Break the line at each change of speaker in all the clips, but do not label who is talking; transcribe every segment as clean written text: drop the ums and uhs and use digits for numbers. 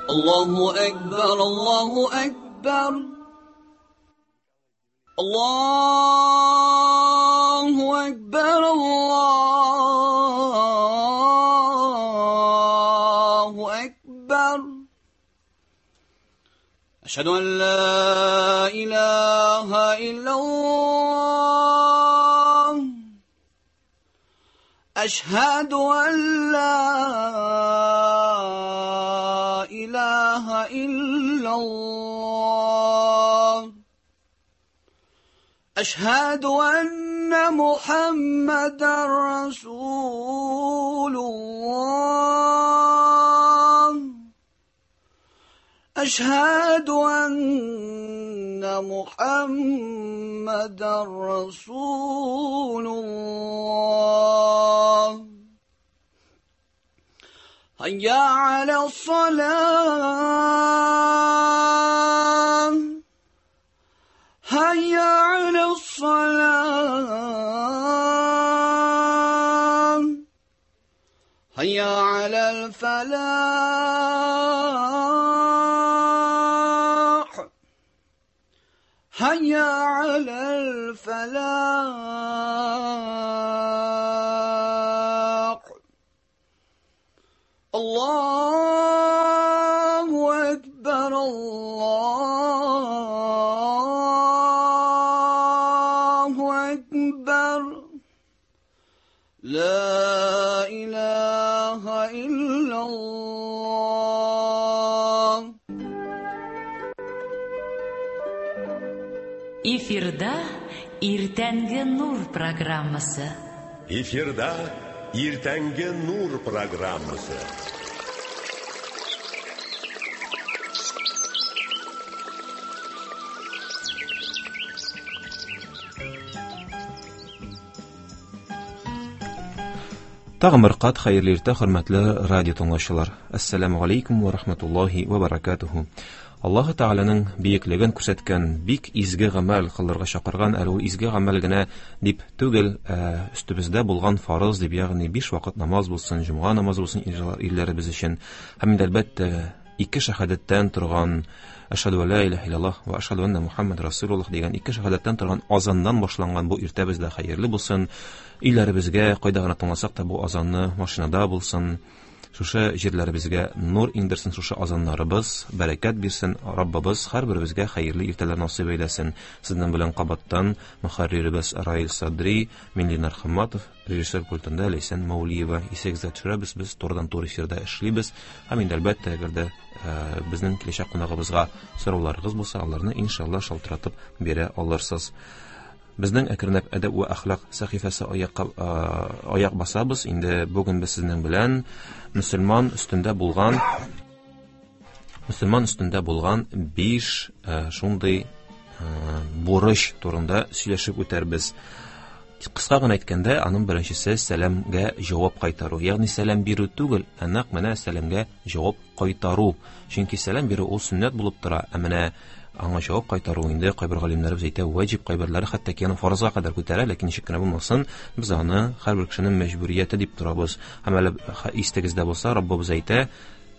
Allahu Ekber, Allahu Ekber. Allahu Ekber, Allahu Ekber. Eşhedü en la ilahe illallah. Eşhedü en la ilahe illallah. Eşhedü enne Muhammeden Resulullah. Eşhedü enne Muhammeden Resulullah. Hayya alas-salah. Hayya alas-salah. Hayya alal-falah. Hayya alal-falah. Allahu Ekber, Allahu Ekber. La ilahe illallah.
Эфирда Иртәнге Нур программасы.
Эфирда Иртәнге Нур программасы.
Тагын бер кат хәерле иртә, хөрмәтле радио тыңлаучылар. Ассаламу алейкум ва рахматуллахи ва баракатуху. Аллаһы Тәгаләнең биеклеген күрсәткән бик изге гамәл кылырга чакырган, әле ул изге гамәл генә дип түгел, өстебездә булган фарыз дип, ягъни 5 вакыт намаз булсын, җомга намазы булсын ирләребез өчен. Һәм инде әлбәттә ике шәһадәттән торган Әшһәдү ла илаһа иллаллаһ ва әшһәдү анна Мухаммад расулуллаһ дигән ике шәһадәттән торган азаннан башланган бу иртәбез дә хәерле булсын. Өйләребезгә кайда гына тыңласак та бу азанны, машинада булсын, шушы җирләребезгә нур иңдерсен, шушы азаннарыбыз бәрәкәт бирсен. Раббыбыз һәрберебезгә хәерле иртәләр насыйп әйләсен. Сезнең белән кабаттан мөхәрриребез Раил Садри, мин Ленар Хамматов, режиссер пультында Ләйсән Маулиева. Исегездә төшерәбез, без турыдан-туры эфирда эшлибез. Һәм инде әлбәттә, әгәр дә безнең киләчәк кунагыбызга сорауларыгыз булса, аларны иншалла шалтыратып бирә алырсыз. Безнең әкренләп әдәп вә әхлак сәхифәсе аяк басабыз. Инде бүген без сезнең белән мөселман өстендә булган 5 шундый бурыч турында сөйләшеп үтәрбез. Кыска гына әйткәндә, аның беренчесе сәламгә җавап кайтару. Ягъни сәлам бирү түгел, ә нәкъ менә сәламгә җавап кайтару. Чөнки сәлам бирү ул сөннәт булып тора, ә менә аңа җавап кайтару инде кайбер галимнәребез әйтә ваҗиб, кайберләре хәтта ки аны фарызга кадәр күтәрә, ләкин ничек кенә булмасын, без аны һәрбер кешенең мәҗбүрияте дип торабыз. Һәм әле истегездә булса, Раббыбыз әйтә,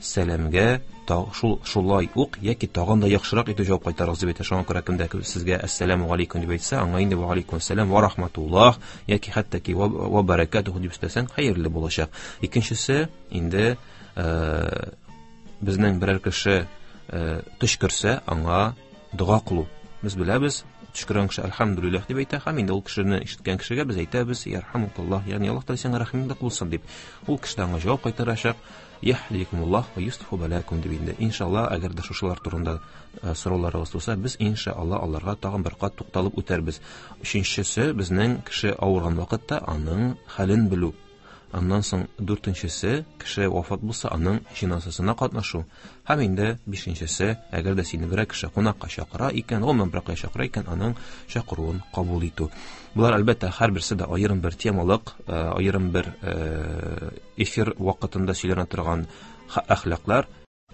сәламгә шулай ук яки тагын да яхшырак итеп җавап кайтарыгыз дип әйтә. Шуңа күрә кемдә сезгә әссәламу алейкум дип әйтсә, аңа инде ва алейкум ассалам ва рахматуллах яки хәтта ки ва баракатуху дип өстәсәң, хәерле булачак. Икенчесе инде безнең берәр кеше төчкерсә, аңа дога кылу. Без беләбез, төчкергән кеше әлхәмдүлилләһ дип әйтә, һәм инде ул кешене ишеткән кешегә без әйтәбез, ярхамукаллаһ, ягъни Аллаһ Тәгалә сиңа рәхимле кылсын дип. Ул кеше дә аңа җавап кайтарачак, яһдикумуллаһ ва юслиху балакум дип инде. Иншалла, әгәр дә шушылар турында сорауларыгыз туса, без иншалла аларга тагын бер кат тукталып үтәрбез. Өченчесе, безнең кеше авырган вакытта аның хәлен белү. Аннан соң дүртенчесе, кеше вафат булса, аның җеназасына катнашу. Һәм инде бишенчесе, әгәр дә сине берәр кеше кунакка чакыра икән, гомумән берәр кеше чакыра икән, аның чакыруын кабул итү. Булар әлбәттә һәрберсе дә аерым бер темалык, аерым бер эфир вакытында сөйләнә торган әхлаклар.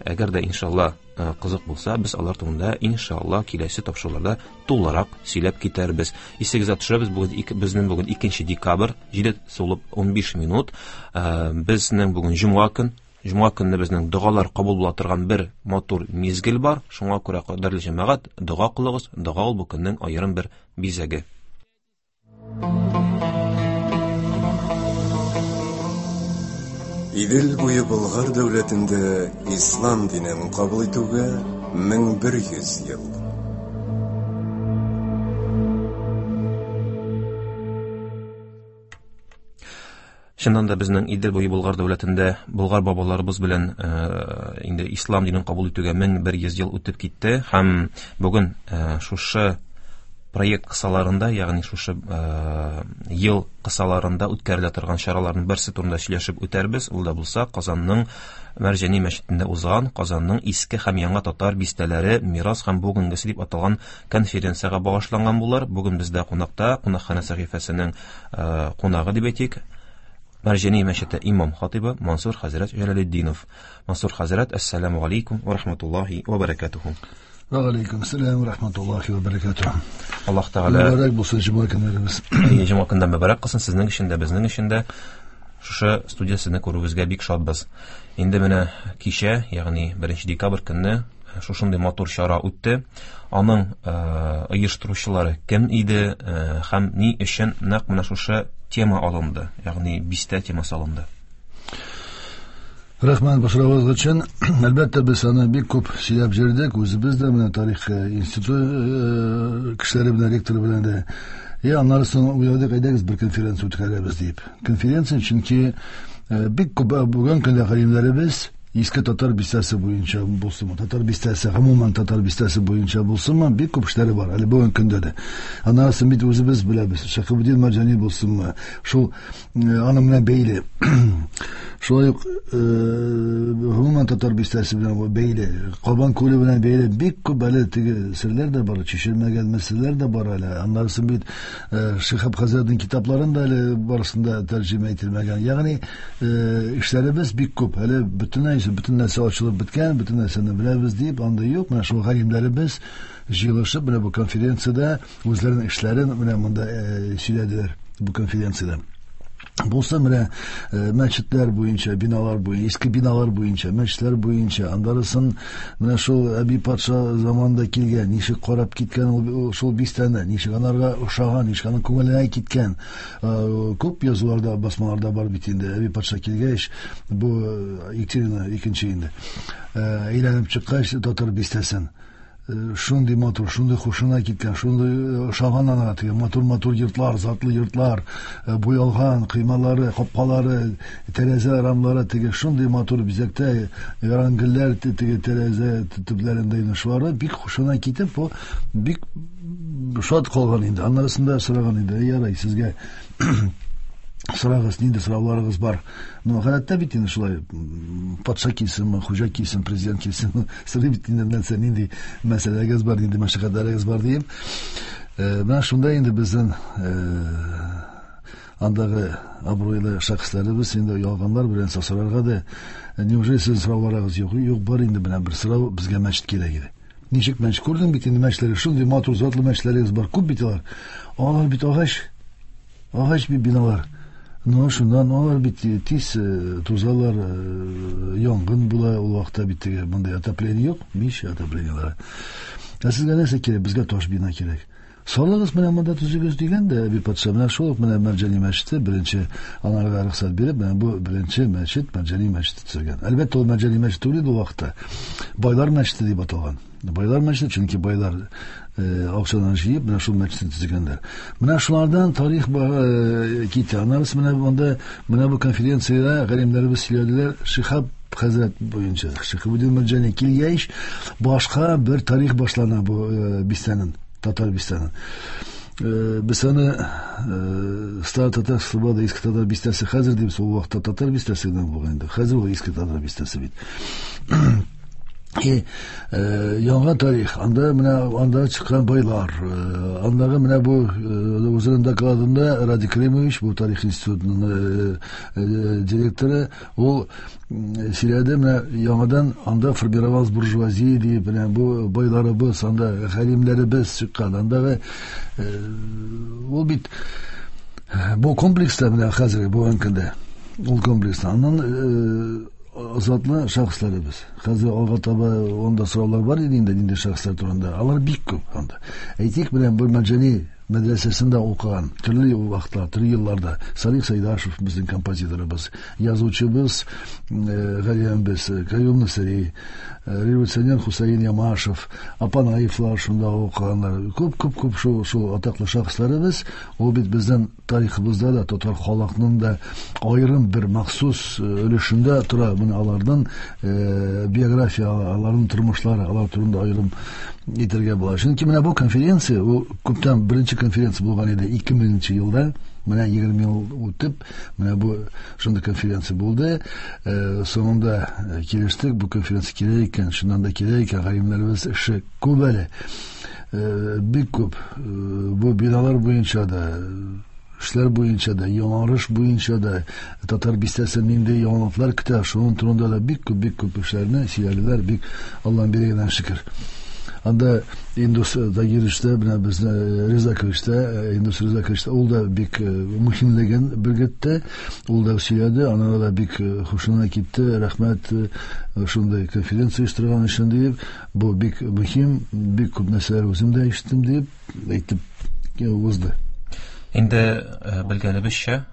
Әгәр дә иншалла кызык булса, без алар турында иншалла киләсе тапшыруларда тулырак сөйләп китәрбез. Исегезгә төшерәбез, безнең бүген 2 декабрь, 7 сулып 15 минут. Безнең бүген җомга көн. Җомга көнне безнең догалар кабул була торган бер матур мизгел бар. Шуңа күрә, кадерле җәмәгать, дога кылыгыз. Дога ул бу көннең аерым бер бизәге.
Идел буе Болгар дәүләтендә ислам динен кабул итүгә 1100 ел.
Чыннан да безнең Идел буе Болгар дәүләтендә болгар бабаларыбыз белән инде ислам динен кабул итүгә 1100 ел үтеп китте һәм бүген шушы проект кысаларында, ягъни шушы ел кысаларында үткәрелә торган чараларның берсе турында сөйләшеп үтәрбез. Ул да булса Казанның Мәрҗани мәчетендә узган Казанның иске һәм яңа татар бистәләре мирас һәм бүгенгесе дип аталган конференциягә багышланган булыр. Бүген бездә кунакта кунакханә сәхифәсенең кунагы дип әйтик, Мәрҗани мәчете имам хатибы Мансур хәзрәт Җәләлетдинов. Мансур хәзрәт, әссәламу алейкум ва рахматуллахи ва баракатуху.
Ва алейкум ассалам ва рахматуллахи ва баракатуху.
Аллаһ Тәгалә
мөбарәк булсын җомга көннәребез.
Җомга көндә мөбарәк кылсын сезнең өчен дә, безнең өчен дә. Шушы студия сезне күрүебезгә бик шатбыз. Инде менә кичә, ягъни 1 декабрь көнне шушындый матур чара үтте. Аның оештыручылары кем иде һәм ни өчен нәкъ менә шушы тема алынды, ягъни бистә темасы алынды?
Рәхмәт бу соравыгыз өчен. Әлбәттә, без аны бик күп сөйләп йөрдек, үзебез дә менә тарих институты кешеләре белән, ректоры белән дә. И аннары соң уйладык, әйдәгез бер конференция үткәрәбез дип. Конференция, чөнки бик күп бүген көндә галимнәребез иске татар бистәсе буенча булсынмы, татар бистәсе, гомумән татар бистәсе буенча булсынмы, бик күп эшләре бар әле бүген көндә дә. Аннары соң бит үзебез беләбез, Шәхебетдин Мәрҗани булсынмы, шул аның белән бәйле. Шулай ук гомумән татар бистәсе белән бәйле, Кабан күле белән бәйле бик күп әле теге серләр дә бар, чишелмәгән мәсьәләләр дә бар әле. Аннары соң бит Шихаб хәзрәтнең китапларын да әле барысын да тәрҗемә ителмәгән. Ягъни эшләребез бик күп. Әле бөтенләй бөтен нәрсә ачылып беткән, бөтен нәрсәне беләбез дип, анда юк. Менә шул галимнәребез җыелышып, менә бу конференциядә үзләренең эшләрен менә монда сөйләделәр бу конференциядә. Булса менә мәчетләр буенча, биналар буенча, иске биналар буенча, мәчетләр буенча, андарысын менә шул Әби патша заманында килгән, ничек карап киткән ул шул бистәне, ничек анарга ошаган, ничек аның күңеленә киткән. Күп язуларда, басмаларда бар бит инде. Әби патша килгәч, бу Екатерина икенче инде. Әйләнеп чыккач татар бистәсен. Шундый матур, шундый хушына киткән, шундый ошаган анага теге матур-матур йортлар, затлы йортлар, буялган коймалары, капкалары, тәрәзә рамлары теге шундый матур бизәктә, ярангөлләр теге тәрәзә төпләрендә инде шулары бик хушына китеп, бу бик шат калган инде. Аннарысында сораган инде, ярай, сезгә сорагыз, нинди сорауларыгыз бар. Ну, гадәттә бит инде шулай, патша килсенме, хуҗа килсен, президент килсенме, сорый бит инде нәрсә, нинди мәсьәләгез бар, нинди мәшәкатьләрегез бар диеп. Менә шунда инде безнең андагы абруйлы шәхесләребез инде ялганнар белән сорарга да, неужели сезнең сорауларыгыз юк? Юк, бар инде менә бер сорау, безгә мәчет кирәк иде. Ничек мәчет күрдең бит инде мәчетләр, шундый матур затлы мәчетләрегез бар, күп бит алар. Алар бит агач, агач бит биналар. Ну, шуннан алар бит тиз тузалар, янгын була, ул вакытта бит теге мондай отопление юк, мич отоплениеләре. Ә сезгә нәрсә кирәк? Безгә таш бина кирәк. Салыгыз менә монда төзегез дигән дә Әби патша менә шул ук менә Мәрҗани мәчете беренче анарга рөхсәт биреп, менә бу беренче мәчет Мәрҗани мәчете төзелгән. Әлбәттә, ул Мәрҗани мәчете түгел иде ул вакытта. Байлар мәчете дип аталган. Байлар мәчете, чөнки байлар акчадан җыеп менә шул мәчетне төзегәннәр. Менә шулардан тарих китә. Аннары менә монда менә бу конференциядә галимнәребез сөйләделәр Шихаб хәзрәт буенча. Шихабуддин Мәрҗани килгәч, башка бер тарих башлана бу бистәнең, татар бистәнең. Без аны Старый Татар Слобода иске татар бистәсе хәзер дип, ул вакытта татар бистәсе генә булган инде. Хәзер ул иске татар бистәсе бит. И яңа тарих, анда менә анда чыккан байлар, андагы менә бу үзенең докладында Радик Кремович, бу тарих институтының директоры, ул сөйләде, менә яңадан анда формировалась буржуазия дип, менә бу байларыбыз, анда галимнәребез чыккан, андагы ул бит бу комплекста менә хәзер бүгенге көндә ул комплекста аннан Затлы шәхесләребез. Хәзер алга таба анда сораулар бар иде инде нинди шәхесләр турында. Алар бик күп анда. Әйтик, менә бер Мәрҗани мәдрәсәсендә укыган төрле вакытлар, төрле елларда Салих Сайдашев безнең композиторыбыз, язучыбыз галимебез Каюм Насыйри, революционер Хусаин Ямашев, Апанаевлар шунда укыганнар. Күп-күп-күп шул атаклы шәхесләребез, ул бит безнең тарихыбызда да татар халкының да аерым бер махсус өлешендә тора. Менә аларның биография, аларның тормышлары, алар турында аерым әйтергә була. Чөнки менә бу конференция, ул күптән беренче конференция булган иде 2000 елда. Менә 20 ел үтеп, менә бу шундый конференция булды. Соңында килештек, бу конференция кирәк икән, чыннан да кирәк икән, галимнәребез эше күп әле. Бик күп. Бу биналар буенча да, эшләр буенча да, яңарыш буенча да, татар бистәсе нинди яңалыклар көтә, шуның турында да бик күп, бик күп эшләрне сөйләделәр, бик Аллаһның биргәненә шөкер. Анда Индус Тагировичта, менә безне Резаковичта, Индус Резаковичта, ул да бик мөһимлеген белгертте, ул да сөйләде, анара да бик хушына китте, рәхмәт шундый конференция оештырган өчен диеп, бу бик мөһим, бик күп нәрсәләр үзем дә ишеттем диеп әйтеп узды.
Инде белгәнебезчә,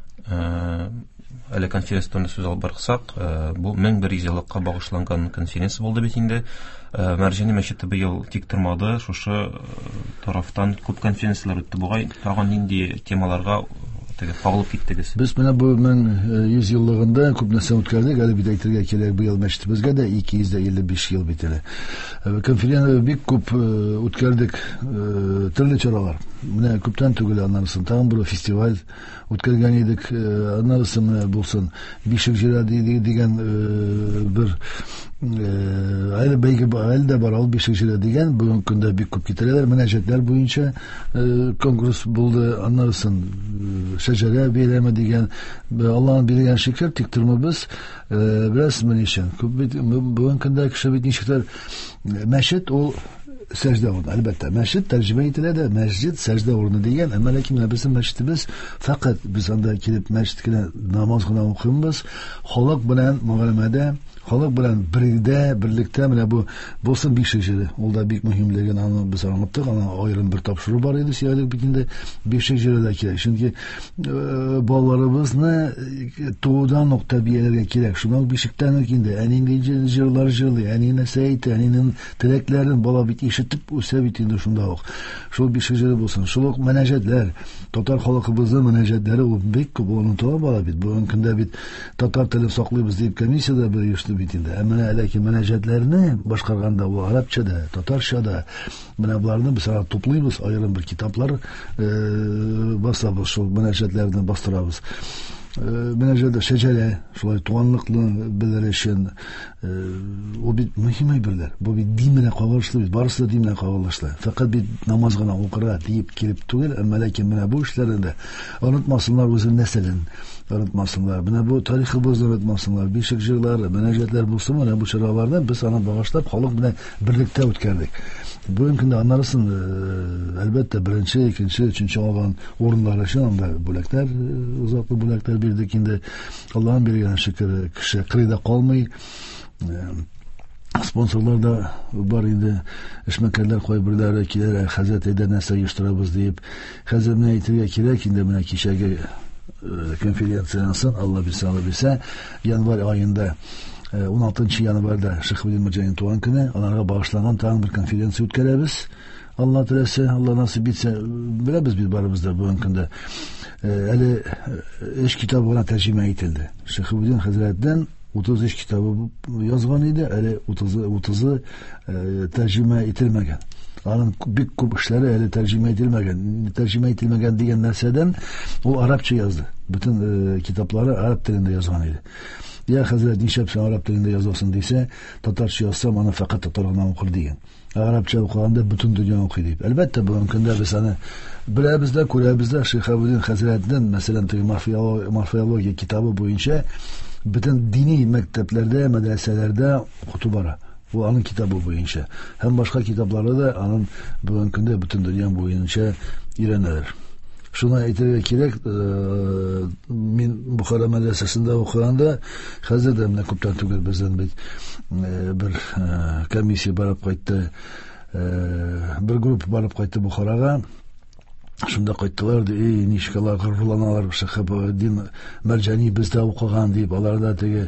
әле конференция турында сүз алып барсак, бу 1100 еллыкка багышланган конференция булды бит инде. Мәрҗани мәчете быел тик тормады, шушы тарафтан күп конференцияләр үтте бугай. Тагын нинди темаларга теге кагылып киттегез?
Без менә бу 1100 еллыгында күп нәрсә үткәрдек. Әле бит әйтергә кирәк, быел мәчетебезгә дә 255 ел бит әле. Конференция бик күп үткәрдек, төрле чаралар. Менә күптән түгел аннан соң тагын бер фестиваль үткәргән идек. Аннан соң менә булсын Бишек җыры дигән бер әле бәйге әле дә бар, ул Бишек җыры дигән. Бүгенге көндә бик күп китерәләр. Мөнәҗәтләр буенча конкурс булды. Аннан соң Шәҗәрә бәйрәме дигән. Аллаһның биргән шөкер, тик тормыйбыз. Беләсезме ни өчен? Күп бит бүгенге көндә кеше бит ничектер мәчет ул сәҗдә урыны. Әлбәттә, мәчет тәрҗемә ителә дә, мәсҗид сәҗдә урыны дигән. Әмма ләкин менә безнең мәчетебез фәкать без анда килеп мәчет кенә намаз гына укыйбыз. Халык белән мөгамәләдә, халык белән бергә, берлектә менә бу булсын бишек җыры. Ул да бик мөһимлеген аны без аңлаттык. Ана аерым бер тапшыру бар иде, сөйләдек бит инде. Бишек җыры да кирәк. Чөнки балаларыбызны туудан ук тәрбияләргә кирәк. Шуннан бишектән үк инде әни нинди җырлар җырлый, әни нәрсә әйтә, әнинең теләкләрен бала бит ишетеп үсә бит инде шунда ук. Шул бишек җыры булсын. Шул ук мөнәҗәтләр, татар халкыбызның мөнәҗәтләре ул бик күп онытыла бара бит. Бүгенге көндә бит татар телен саклыйбыз дип комиссия дә бер оешты бит инде. Ә менә ләкин мөнәҗәтләрне башкарганда ул арабча да, татарча да, менә боларны без ара туплыйбыз, аерым бер китаплар басабыз, шул мөнәҗәтләрне бастырабыз. Мөнәҗәт шәҗәрә, шулай туганлыкны белер өчен, ул бит мөһим әйберләр. Бу бит дин белән кагылышлы бит, барысы да дин белән кагылышлы. Фәкать бит намаз гына укырга диеп килеп түгел, әмма ләкин менә бу эшләрне дә онытмасынлар, үзенең нәселен онытмасынлар. Менә бу тарихыбызны онытмасынлар. Бишек җырлары, мөнәҗәтләр булсын, менә бу чараларны без аны багышлап халык белән берлектә үткәрдек. Бүгенге көндә аннарысын, әлбәттә, беренче, икенче, өченче алган урыннар өчен анда бүләкләр, затлы бүләкләр бирдек инде. Аллаһның биргән шөкер, кеше кырыйда калмый. Спонсорлар да бар инде, эшмәкәрләр кайберләре киләләр, хәзрәт, әйдә нәрсә оештырабыз диеп. Хәзер менә әйтергә кирәк инде, менә кичәге конференциядән соң, Алла бирсә, Алла бирсә, январь аенда, 16 январьда Шиһабетдин Мәрҗани туган көне, аларга багышланган тагын бер конференция үткәрәбез. Алла теләсә, Алла насыйп итсә, беләбез бит барыбыз да бүгенге көндә. Әле өч китап гына тәрҗемә ителде. Шиһабетдин хәзрәттән 33 китабы язган иде, әле 30-ы тәрҗемә ителмәгән. Аның бик күп эшләре әле тәрҗемә ителмәгән. Тәрҗемә ителмәгән дигән нәрсәдән ул арабча язды. Бөтен китаплары араб телендә язган иде. Я хәзрәт, нишләп син араб телендә язасың дисә, татарча язсам, аны фәкать татар гына укыр дигән. Арабча укыганда бөтен дөнья укый дип. Әлбәттә, бүгенге көндә без аны беләбез дә, күрәбез дә. Шиһабетдин хәзрәтнең, мәсәлән, теге морфеология китабы буенча бөтен дини мәктәпләрдә, мәдрәсәләрдә укыту бара. Бу аның китабы буенча. Һәм башка китаплары да аның бүгенге көндә бөтен дөнья буенча өйрәнәләр. Шуны әйтергә кирәк, мин Бухара мәдрәсәсендә укыганда, хәзер дә менә күптән түгел бездән бит бер комиссия барып кайтты, бер группа барып кайтты Бухарага. Шунда кайттылар, ди, эй, ничек алар горурланалар, Шиһабетдин Мәрҗани бездә укыган дип, аларда теге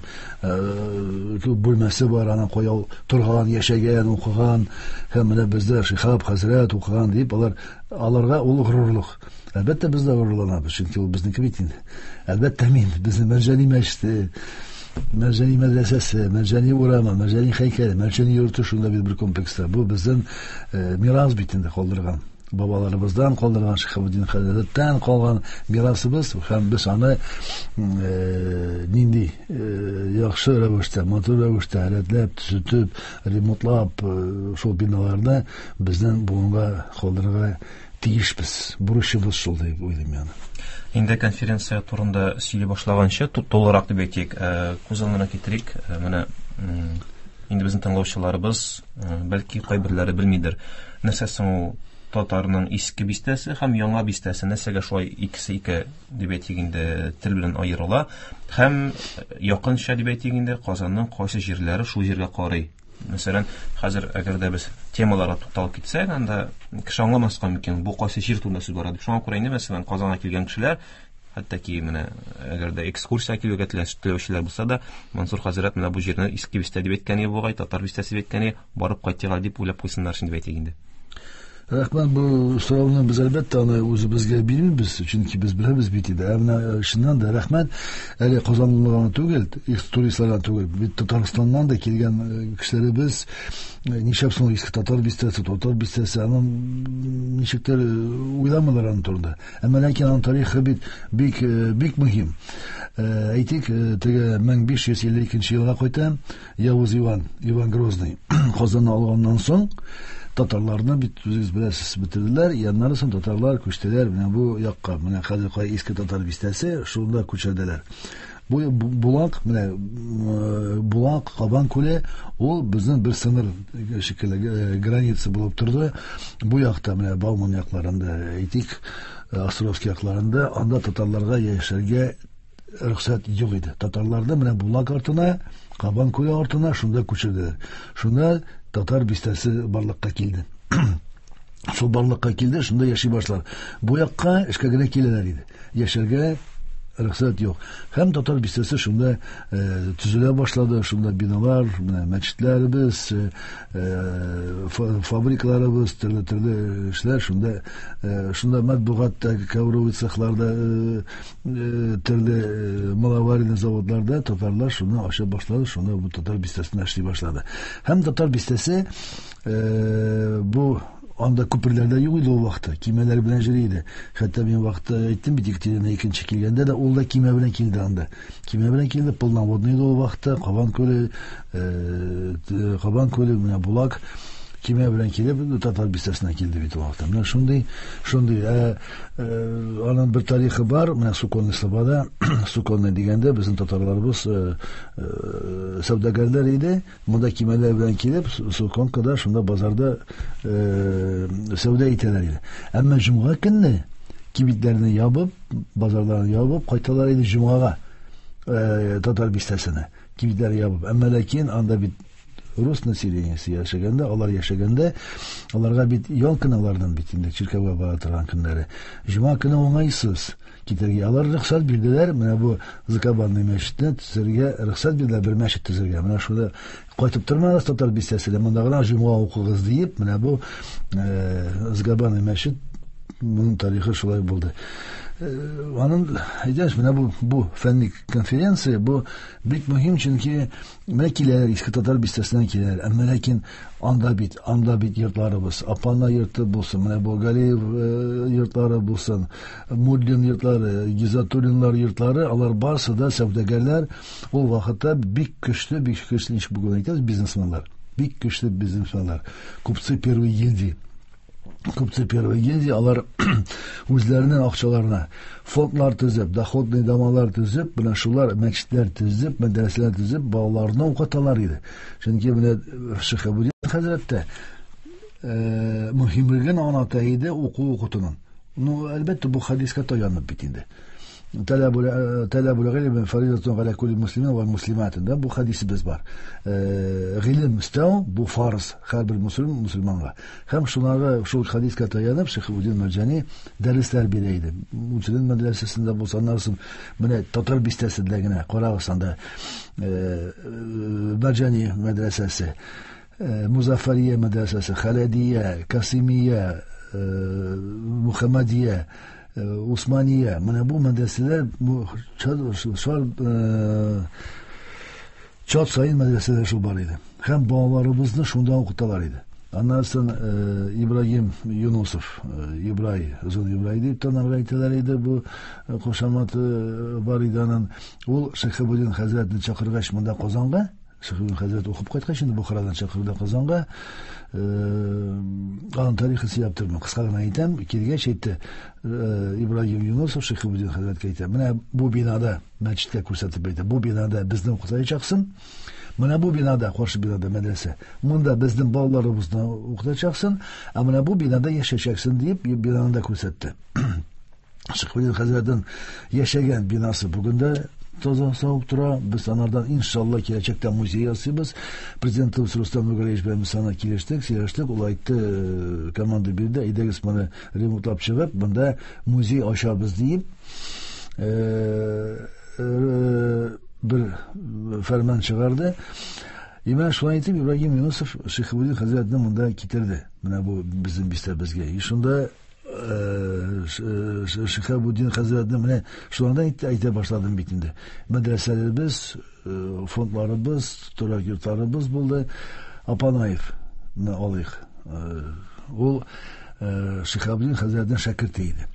бүлмәсе бар, аның кая торган, яшәгән, укыган, һәм менә бездә Шиһаб хәзрәт укыган дип, алар аларга ул горурлык. Әлбәттә, без дә горурланабыз, чөнки ул безнеке бит инде. Әлбәттә, мин безнең Мәрҗани мәчете, Мәрҗани мәдрәсәсе, Мәрҗани урамы, Мәрҗани һәйкәле, Мәрҗани йорты шунда бит бер комплекста. Бу безнең мирас бит инде калдырган. Бабаларыбыздан калдырган, Шиһабетдин хәзрәттән калган мирасыбыз, һәм без аны нинди яхшы рәвештә, матур рәвештә рәтләп, төзетеп, ремонтлап, шул биналарны безнең буынга калдырырга тиешбез. Бурычыбыз шул дип уйлыйм мин.
Инде конференция турында сөйли башлаганчы, тулырак дип әйтик, күз алдына китерик, менә инде безнең тыңлаучыларыбыз, бәлки кайберләре белмидер. Нәрсә соң ул татарның иске бистәсе һәм яңа бистәсе, нәрсәгә шулай икесе ике дип әйтик инде тел белән аерыла, һәм якынча дип әйтик инде Казанның кайсы җирләре шул җиргә карый. Мәсәлән, хәзер әгәр дә без темаларга тукталып китсәк, анда кеше аңламаска мөмкин, бу кайсы җир турында сүз бара дип. Шуңа күрә инде, мәсәлән, Казанга килгән кешеләр, хәтта ки менә әгәр дә экскурсия килергә теләүчеләр булса да, Мансур хәзрәт менә бу җирне иске бистә дип әйткән иде бугай, татар бистәсе дип әйткән иде, барып кайтыйк әле дип уйлап куйсыннар өчен дип әйтик инде.
Рәхмәт, бу сорауны без әлбәттә аны үзебезгә бирмибез, чөнки без беләбез бит инде. Ә менә чыннан да рәхмәт, әле Казанлыларга гына түгел, туристларга түгел, бит Татарстаннан да килгән кешеләребез, нишләп соң иске татар бистәсе, татар бистәсе, аның ничектер уйламыйлар аның турында. Әмма ләкин аның тарихы бит бик, бик мөһим. Әйтик, теге 1552 елга кайта Явыз Иван, Иван Грозный Казанны алганнан соң татарларны бит үзегез беләсез бетерделәр, яннары соң татарлар күчтеләр менә бу якка, менә хәзер кай иске татар бистәсе, шунда күчерделәр. Бу Булак, менә Булак, Кабан күле, ул безнең бер сыңыр шикелле граница булып торды. Бу якта менә Бауман якларында, әйтик, Островский якларында, анда татарларга яшәргә рөхсәт юк иде. Татарларны менә Булак артына, Кабан күле артына шунда күчерделәр. Шунда татар бистәсе барлыкка килде. Шул барлыкка килде, шунда яши башлар. Бу якка эшкә генә киләләр иде. Яшәргә рөхсәт юк. Һәм татар бистәсе шунда төзелә башлады, шунда биналар, менә мәчетләребез, фабрикаларыбыз, төрле-төрле эшләр шунда, шунда матбугатта, ковровый цехларда, төрле маловаренный заводларда татарлар шуны ача башлады, шунда бу татар бистәсендә эшли башлады. Һәм татар бистәсе бу анда күперләр дә юк иде ул вакытта, кимәләр белән йөри иде. Хәтта мин вакытта әйттем бит, Екатерина икенче килгәндә дә ул да кимә белән килде анда. Кимә белән килде, полноводный иде ул вакытта, Кабан күле, Кабан күле, менә Булак кимә белән килеп татар бистәсенә килде бит ул вакытта. Менә шундый, шундый, аның бер тарихы бар, менә Суконный Слобода, Суконный дигәндә безнең татарларыбыз, сәүдәгәрләр иде. Монда кимәләр белән килеп, Суконкада, шунда базарда, сәүдә итәләр иде. Әмма җомга көнне кибетләрне ябып, базарларны ябып кайталар иде җомгага, татар бистәсенә. Кибетләрне ябып. Әмма ләкин анда бит рус населениесе яшәгәндә, алар яшәгәндә, аларга бит ял көне алардан бит инде чиркәүгә бара торган көннәре. Җомга көне уңайсыз китәргә. Алар рөхсәт бирделәр, менә бу Закабанный мәчетне төзергә рөхсәт бирделәр, бер мәчет төзергә. Менә шунда кайтып тормагыз татар бистәсенә, монда гына җомга укыгыз диеп, менә бу Закабанный мәчет, моның тарихы шулай булды. Аның әйтәш, менә бу фәнни конференция, бу бик мөһим, чөнки менә киләләр, иске татар бистәсеннән киләләр. Әмма ләкин анда бит йортларыбыз, Апана йорты булсын, менә бу Галиев йортлары булсын, Муллин йортлары, Гизатуллинлар йортлары, алар барысы да сәүдәгәрләр. Ул вакытта бик көчле, бик көчле, ничек бүген әйтәбез, бизнесменлар. Бик көчле бизнесменлар. Купцы первой гильдии. Купцы первой гильдии, алар үзләренең акчаларына фондлар төзеп, доходный домалар төзеп, менә шулар мәчетләр төзеп, мәдрәсәләр төзеп, балаларны укыталар иде. Чөнки менә Шиһабетдин хәзрәт тә мөһимлеген аңлата иде уку укытуның. Ну, әлбәттә, бу хадиска таянып бит инде. Талабул гыйльми фаризатун галя кулли муслимин ва муслимат. Да, бу хадисебез бар. Гыйлем эстәү бу фарз һәрбер мусульман мусульманга. Һәм шунарга шул хадиска таянып Шихабуддин Мәрҗани дәресләр бирә иде. Муслим мәдрәсәсендә булса, аннан соң менә татар бистәсендә генә карагыз анда Мәрҗани мәдрәсәсе, Музаффария мәдрәсәсе, Халәдия, Касимия, Мухаммадия, Усмания. Менә бу мәдрәсәләр бу чат сайын мәдрәсәләр шул бар иде. Һәм балаларыбызны шунда укыталар иде. Аннан соң Ибрагим Юнусов, Ибрай, Озын Ибрай дип танарга әйтәләр иде, бу кушаматы бар иде аның. Ул Шихабуддин хәзрәтне чакыргач монда Казанга, Шихабуддин хәзрәт укып кайткач инде Бухарадан чакырды Казанга. Аның тарихын сөйләп тормыйм, кыска гына әйтәм. Килгәч әйтте, Ибрагим Юнусов Шихабуддин хәзрәткә әйтә, менә бу бинада, мәчеткә күрсәтеп әйтә, бу бинада безне укытачаксың. Менә бу бинада, каршы бинада мәдрәсә. Монда безнең балаларыбызны укытачаксың, ә менә бу бинада яшәячәксең дип бинаны да күрсәтте. Шихабуддин хәзрәтнең яшәгән бинасы бүген дә таза сау тора. Без анардан иншалла киләчәктә музей ясыйбыз. Президентыбыз Рустам Нургалиевич белән без аны килештек, сөйләштек. Ул әйтте, команда бирде, әйдәгез моны ремонтлап чыгып, монда музей ачабыз дип. Бер фәрман чыгарды. И менә шулай итеп Ибрагим Юнусов Шихабуддин хәзрәтне монда китерде. Менә бу безнең бистәбезгә. И шунда Шихабуддин хәзрәтне менә шулардан әйтә башладым бит инде. Мәдрәсәләребез, фондларыбыз, торак йортларыбыз булды. Апанаевны алыйк. Ул Шихабуддин хәзрәтнең шәкерте иде.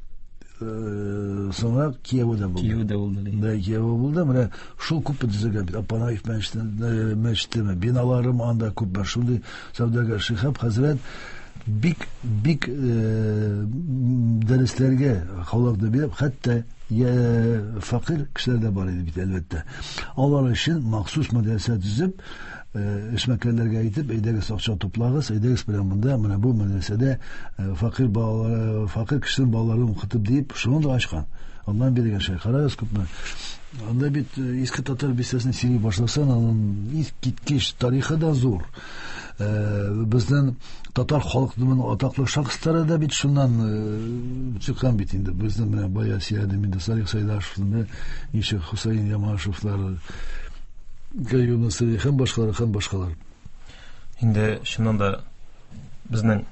Соңрак кияве дә булды.
Кияве дә булды.
Да, кияве булды. Менә шул күп төзегән бит. Апанаев мәчете, биналарым анда күп бар. Шундый сәүдәгәр Шихаб хәзрәт бик бик дәресләргә халыкны биреп, хәтта фәкыйрь кешеләр дә бар иде бит, әлбәттә. Алар өчен махсус мәдрәсә төзеп, эшмәкәрләргә әйтеп, әйдәгез акча туплагыз, әйдәгез белән монда, менә бу мәдрәсәдә фәкыйрь балалар, фәкыйрь кешенең балаларын укытып дип, шуны да ачкан. Аллаһ биргән шәй. Карагыз күпме. Анда бит иске татар бистәсен сөйли башласаң, аның искиткеч тарихы да зур. Безнең татар халкының атаклы шәхесләре дә бит шуннан чыккан бит инде. Безнең менә бая сөйләдем инде Салих Сайдашевны, ничек Хусаин Ямашевлар, Гаюм Насыри һәм башкалар, һәм башкалар.
Инде чыннан да безнең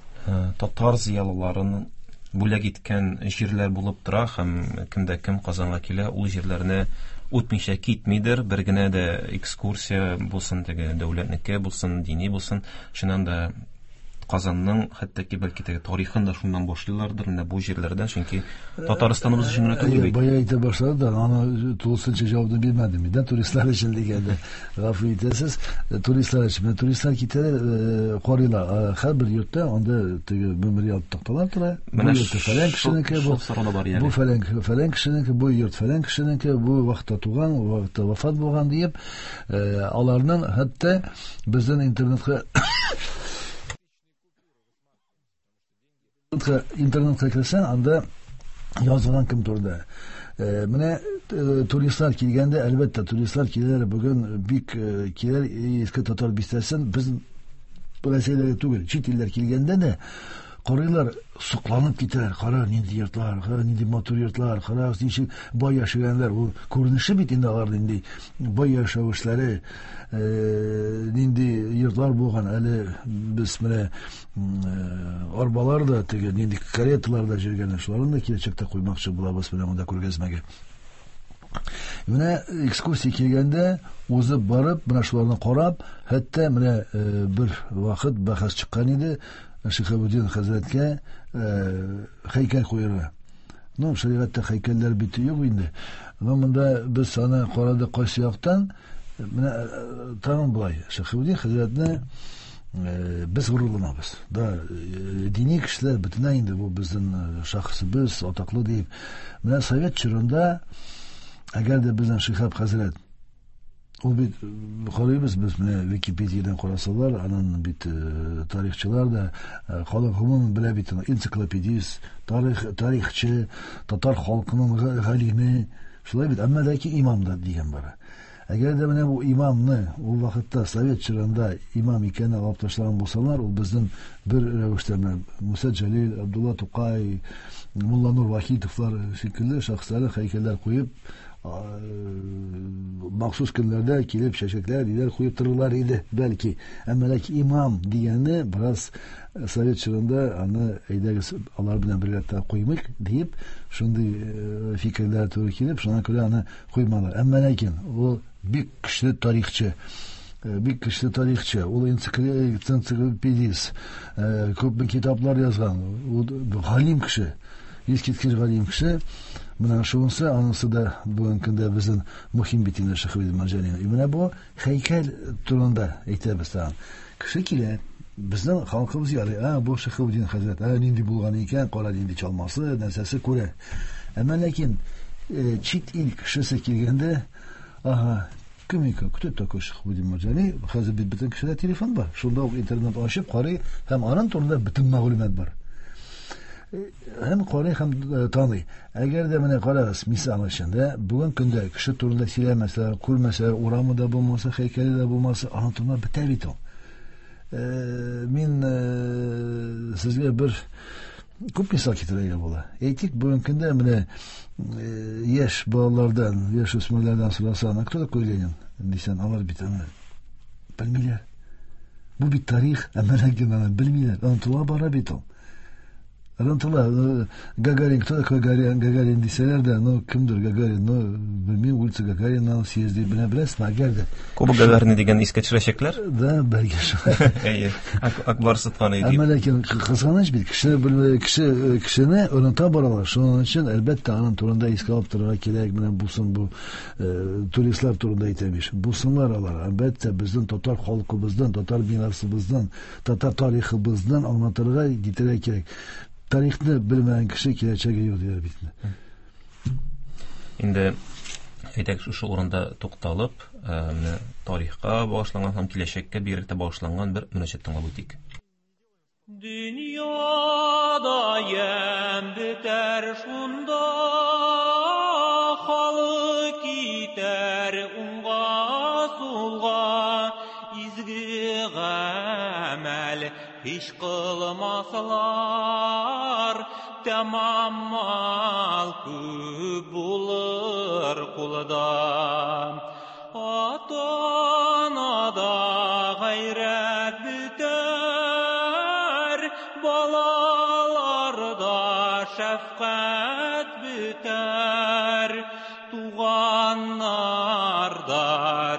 татар зыялыларының бүләк иткән җирләр булып тора, һәм кемдә кем Казанга килә, ул җирләрне үтмичә китмидер. Бер генә дә экскурсия булсын, теге дәүләтнеке булсын, дини булсын, чыннан да Казанның хәтта ки бәлки теге тарихын да шуннан башлыйлардыр, менә бу җирләрдән, чөнки Татарстаныбыз өчен генә түгел бит.
Бая әйтә башлады да, аны тулысынча җавапны бирмәдем мин, да, туристлар өчен дигәндә. Гафу итәсез, туристлар өчен. Менә туристлар китәләр, карыйлар. Һәрбер йортта анда теге мемориал такталар тора. Бу
Менә
йорт фәлән кешенеке,
шул сорау да бар иде.
бу фәлән кешенеке, бу йорт фәлән кешенеке, бу вакытта туган, бу вакытта вафат булган диеп, аларның хәтта безнең интернетка керсәң, анда язылган кем турында. Менә туристлар килгәндә, әлбәттә, туристлар киләләр бүген бик киләр иске татар бистәсен, без Россиядә түгел, чит илләр килгәндә дә карыйлар, сокланып китәләр. Кара, нинди йортлар, кара, нинди матур йортлар, кара, ничек бай яшәгәннәр. Ул күренеше бит инде алар нинди бай яшәүчеләре, нинди йортлар булган. Әле без менә арбалар да, теге нинди кареталар да йөргән, шуларны да киләчәктә куймакчы булабыз менә монда күргәзмәгә. Менә экскурсия килгәндә узып барып, менә шуларны карап, хәтта менә бер вакыт бәхәс чыккан иде Шихабуддин хәзрәткә һәйкәл куярга. Ну, шәригатьтә һәйкәлләр бит юк инде. Но монда без аны карадык кайсы яктан. Менә тагын болай, Шихабуддин хәзрәтне без горурланабыз. Да, дини кешеләр бөтенләй инде бу безнең шәхесебез, атаклы дип. Менә совет чорында әгәр дә безнең Шихаб хәзрәт Ул бит карыйбыз без менә Википедиядән карасалар, анын бит тарихчылар да, халык гомумән белә бит аны, энциклопедист, тарихчы, татар халкының галиме, шулай бит, әмма ләкин имам да дигән бар. Әгәр дә менә бу имамны ул вакытта совет чорында имам икәнен алып ташлаган булсалар, ул безнең бер рәвештә менә Муса Җәлил, Абдулла Тукай, Мулланур Вахитовлар шикелле шәхесләре һәйкәлләр куеп, махсус көннәрдә килеп чәчәкләр, ниләр куеп торырлар иде, бәлки. Әмма ләкин имам дигәнне бераз совет чорында аны әйдәгез алар белән бергә куймыйк диеп, шундый фикерләр туры килеп, шуңа күрә аны куймадылар. Әмма ләкин ул бик көчле тарихчы, бик көчле тарихчы, ул энциклопедист, күп китаплар язган, ул галим кеше, искиткеч галим кеше. Менә шунысы, анысы да бүгенге көндә безнең мөһим бит инде Шиһабетдин Марҗани. Менә бу һәйкәл турында әйтәбез тагын. Кеше килә, безнең халкыбыз ярый, бу Шиһабетдин хәзрәт, нинди булган икән, кара нинди чалмасы, нәрсәсе күрә. Әмма ләкин чит ил кешесе килгәндә, ага, кем икән, кто такой Шиһабетдин Марҗани? Хәзер бит бөтен кешедә телефон бар. Шунда ук интернет ачып карый һәм аның турында бөтен мәгълүмат бар. Һәм карый, һәм таный. Әгәр дә менә карагыз, мисал өчен дә, бүген көндә кеше турында сөйләмәсәләр, күрмәсәләр, урамы да булмаса, һәйкәле дә булмаса, аның турында бетә бит ул. Мин сезгә бер күп мисал китерергә була. Әйтик, бүген көндә менә яшь балалардан, яшь үсмерләрдән сорасаң, кто такой Ленин дисәң, алар бит аны белмиләр. Бу бит тарих, әмма ләкин аны белмиләр. Онытыла бара бит ул. Онытыла. Гагарин, кто такой Гагарин дисәләр дә, ну, кемдер Гагарин, ну, белмим, улица Гагарина съезди, белә беләсезме, әгәр дә.
Кубок Гагарина дигән искә төшерәчәкләр?
Да, бәлки шулай.
Әйе, Ак Барс тоткан иде.
Әмма ләкин кызганыч бит, кешене оныта баралар. Шуның өчен, әлбәттә, аның турында искә алып торырга кирәк. Менә булсын бу туристлар турында әйтәм ич. Булсынлар алар. Әлбәттә, безнең татар халкыбыздан, татар мирасыбыздан, татар тарихыбыздан аңлатырга, китерергә кирәк. Тарихны белмәгән кеше киләчәге юк диләр бит инде.
Инде әйтәк, шушы урында тукталып, менә тарихка багышланган һәм киләчәккә бигрәк тә багышланган бер мөнәҗәт тыңлап үтик.
Дөньяда ямь бетәр шунда, халык китәр уңга сулга, изге гамәл һич кылмаслар, тәмам мал күп булыр кулда. Ата-анада гайрәт бетәр, балаларда шәфкать бетәр, туганнарда